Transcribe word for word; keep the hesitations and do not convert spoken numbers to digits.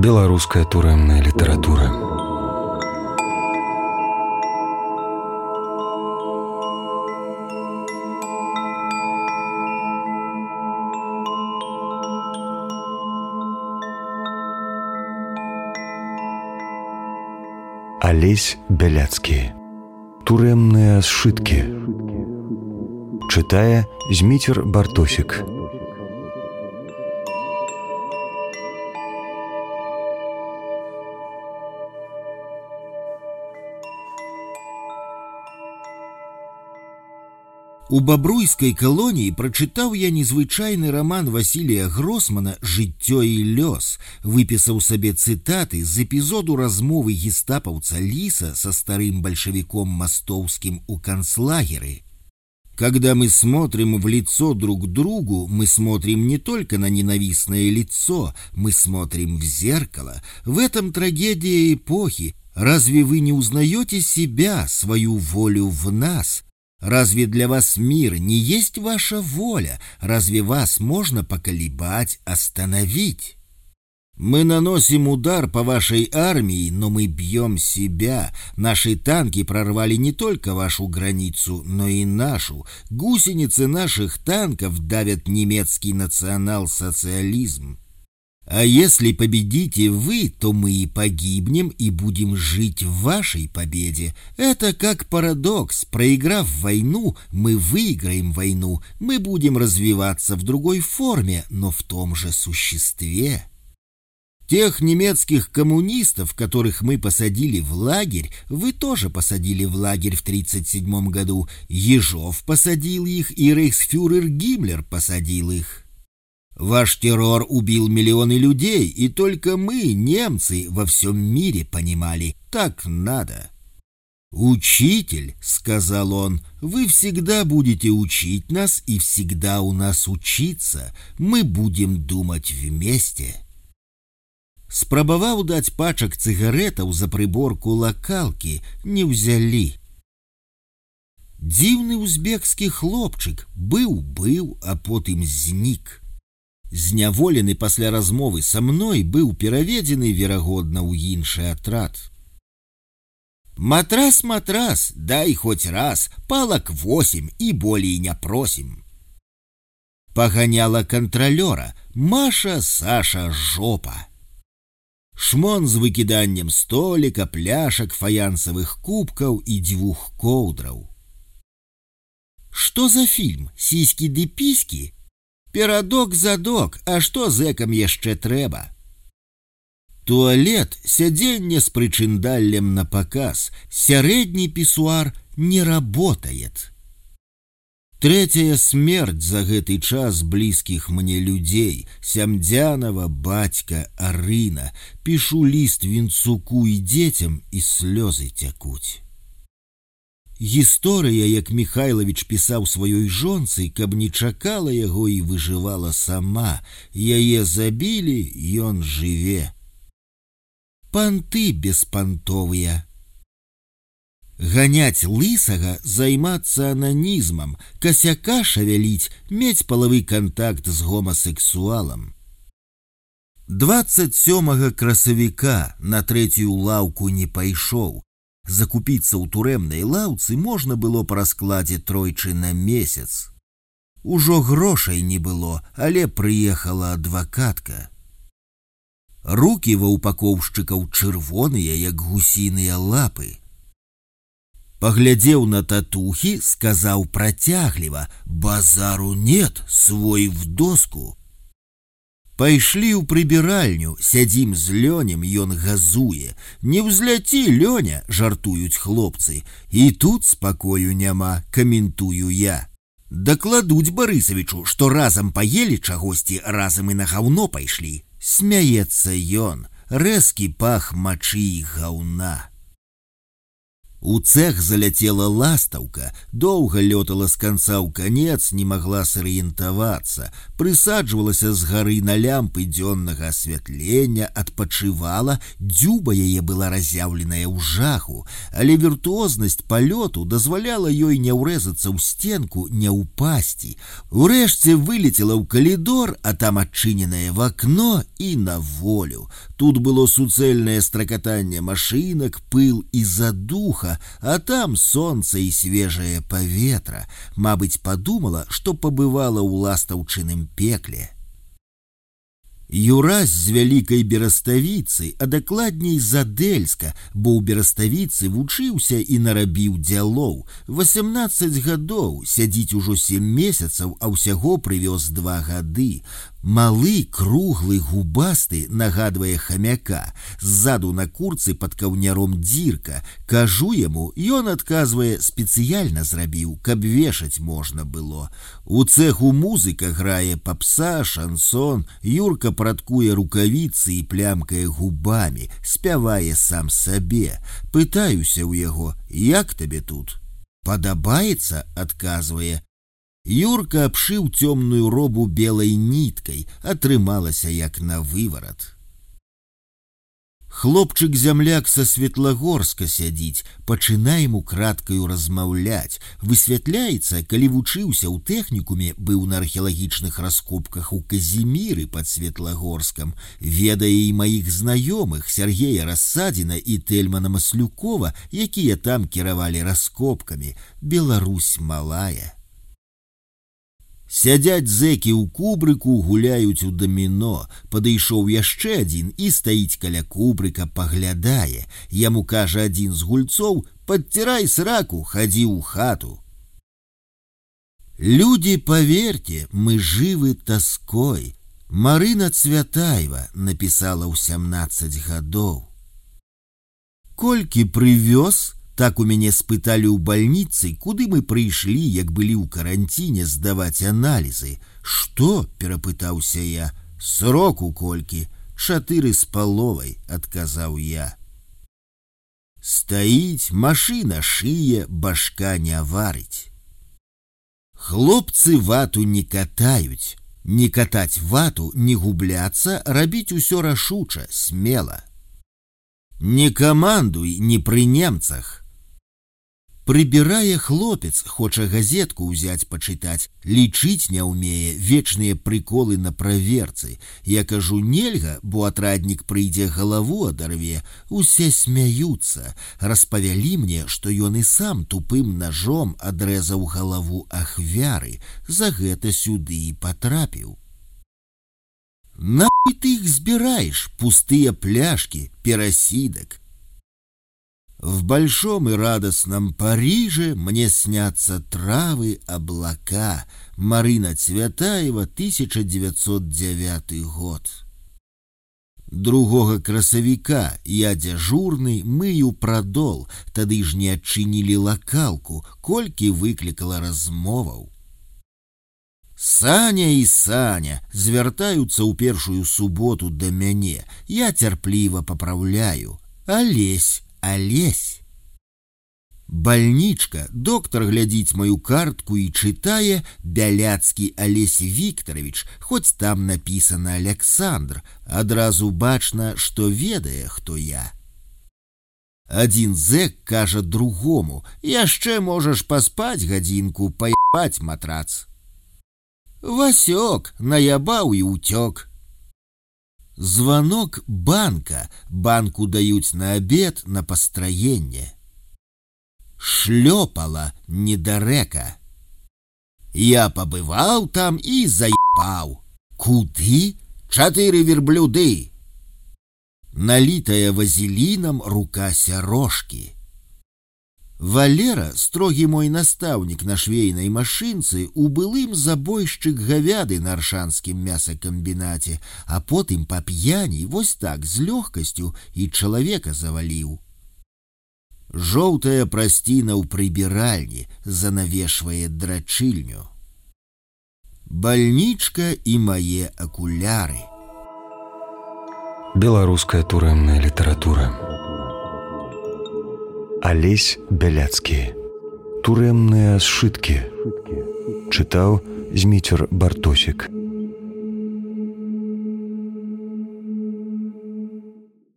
Беларуская турэмная літаратура. Алесь Бяляцкі. Турэмныя сшыткі. Чытае Зміцер Бартосік. У бабруйскай калоніі прачытаў я незвычайны раман Васілія Гросмана «Жыццё і лёс», выпісаў сабе цытаты з эпізоду размовы гестапаўца Лиса со старым большевиком Мостовским у концлагере. Когда мы смотрим в лицо друг другу, мы смотрим не только на ненавистное лицо, мы смотрим в зеркало. В этом трагедия эпохи. Разве вы не узнаете себя, свою волю в нас? Разве для вас мир не есть ваша воля? Разве вас можно поколебать, остановить? Мы наносим удар по вашей армии, но мы бьем себя. Наши танки прорвали не только вашу границу, но и нашу. Гусеницы наших танков давят немецкий национал-социализм. А если победите вы, то мы и погибнем, и будем жить в вашей победе. Это как парадокс. Проиграв войну, мы выиграем войну. Мы будем развиваться в другой форме, но в том же существе. Тех немецких коммунистов, которых мы посадили в лагерь, вы тоже посадили в лагерь в тридцать седьмом году. Ежов посадил их, и рейхсфюрер Гиммлер посадил их. Ваш террор убил миллионы людей, и только мы, немцы, во всем мире понимали, так надо. «Учитель», — сказал он, — «вы всегда будете учить нас и всегда у нас учиться. Мы будем думать вместе». Спрабаваў даць пачак цыгаретаў за прыборку лакалкі, не ўзялі. Дзіўны узбекскі хлопчык быў-быў, а потым знік. Зняволены пасля размовы са мной быў пераведзены, верагодна, ў іншы атрад. «Матрас, матрас, дай хоть раз, палак восемь и болей не просим». Паганяла кантралёра: «Маша, Саша, жопа». Шмон з выкіданнем століка, пляшак, фаянсавых кубкаў і дзвюх коўдраў. Што за фільм? Сіські ды піські? Перадок-задок, а што зэкам яшчэ трэба? Туалет, сядзенне з прычындаллем на паказ, сярэдні пісуар не работает. Трэцяя смерць за гэты час блізкіх мне людзей: Сямдзянова, бацька, Арына. Пішу ліст Вінцуку і дзецям, і слёзы цякуць. Гісторыя, як Міхайлавіч пісаў сваёй жонцы, каб не чакала яго і выжывала сама. Яе забілі, ён жыве. Панты беспантовыя. Ганяць лысага, займацца ананізмам, касяка шавяліць, мець палавы кантакт з гомасексуалам. дваццаць сёмага красавіка на трэцюю лаўку не пайшоў. Закупіцца ў турэмнай лаўцы можна было па раскладзе тройчы на месяц. Ужо грошай не было, але прыехала адвакатка. Рукі ва упакоўшчыкаў чырвоныя, як гусіныя лапы. Паглядзеў на татухі, сказаў працягліва: «Базару нет, свой в доску». Пайшлі ў прыбіральню, сядзім з Лёнем, ён газуе. «Не ўзляці, Лёня», жартуюць хлопцы. І тут спакою няма, каментую я. «Дакладуць Барысавічу, што разам паелі чагосьці, разам і на гаўно пайшлі». Смяецца ён, рэзкі пах мачы і гаўна. У цех заляцела ластаўка, доўга лётала з канца ў канец, не магла сарыентавацца, прысаджвалася з гары на лямпы дзённага асвятлення, адпачывала, дзюба яе была разяўленая ў жаху, але віртуознасць палёту дазваляла ёй не ўрэзацца ў стенку, не ўпасці. Урэшце вылецела ў калідор, а там адчыненае в акно і на волю. Тут было суцэльнае стракатанне машынак, пыл і задуха, а там солнце і свежае паветра. Мабыць, падумала, што пабывала ў ластаўчыным пекле. Юрась з вялікай Бераставіцы, а дакладней з Адэльска, бо ў Бераставіцы вучыўся і нарабіў дзялоў. Васямнаццаць гадоў, сядзіць ужо сем месяцаў, а ўсяго прывёз два гады. Малы, круглы, губасты, нагадвае хамяка. Ззаду на курцы пад каўняром дзірка. Кажу яму, ён адказвае, спецыяльна зрабіў, каб вешаць можна было. У цеху музыка грае папса, шансон, Юрка прадкуе рукавіцы і плямкае губамі, спявае сам сабе. Пытаюся ў яго, як табе тут? Падабаецца, адказвае. Юрка абшыў цёмную робу белай ніткай, атрымалася як на выварат. Хлопчык-зямляк са Светлагорска сядзіць, пачынаем украдкаю размаўляць. Высвятляецца, калі вучыўся ў тэхнікуме, быў на археалагічных раскопках у Казіміры пад Светлагорскам, ведае і маіх знаёмых Сергея Рассадзіна і Тельмана Маслюкова, якія там кіравалі раскопкамі. Беларусь малая. Сядзяць зэкі ў кубрыку, гуляюць у даміно. Падышоў яшчэ адзін і стаіць каля кубрыка, паглядае. Яму кажа адзін з гульцоў: «Падцірай сраку, хадзі ў хату». Люди, поверьте, мы живы тоской. Марына Цвятаева написала ў сямнаццаць гадоў. Колькі прывёз? Так у мяне спыталі ў бальніцы, куды мы прыйшлі, як былі ў каранціне здаваць аналізы. Што? Перапытаўся я. Сроку колькі? Чатыры з паловай, адказаў я. Стаіць, машына шые, башка не варыць. Хлопцы вату не катаюць. Не катаць вату, не губляцца, рабіць усё рашуча, смела. Не камандуй, не пры немцах. Прыбірае хлопец, хоча газетку ўзяць пачытаць, лічыць не ўмее, вечныя прыколы на праверцы. Я кажу, нельга, бо атраднік прыйдзе, галаву адарве. Усе смяюцца. Распавялі мне, што ён і сам тупым ножом адрэзаў галаву ахвяры. За гэта сюды і патрапіў. Нахуй ты их збираешь, пустые пляшки, перасидок? В большом и радостном Париже мне снятся травы, облака. Марына Цвятаева, тысяча девятьсот девятый год. Другого красавіка я дзяжурны, мыю прадол, тады ж не адчынілі лакалку, колькі выклікала размоваў. Саня і Саня звяртаюцца ў першую суботу да мяне. Я цярпліва папраўляю. Алесь, Алесь. Бальнічка, доктор глядзіць маю картку і чытае Бяляцкі Алесь Віктарович, хоць там напісана Александр, адразу бачна, што ведае, хто я. Адзін зэк кажа другому: яшчэ можаш паспаць гадзінку, паебаць матрац. Васёк наябаў і ўцёк. Звонок банка. Банку даюць на обед, на построение. Шлёпала недарэка. Я побывал там и заебал. Куды? Чатыры верблюды. Налитая вазелином рука сярожки. Валера, строгі мой настаўнік на швейнай машынцы, у былым забойшчык гавяды на аршанскім мясакамбінаце, а потым па п'яні вось так з лёгкасцю і чалавека заваліў. Жоўтая прасціна ў прыбіральні занавешвае драчыльню. Бальнічка і мае акуляры. Беларуская турэмная літаратура. Алесь Бяляцкі. Турэмныя сшыткі. Чытаў Зміцер Бартосік.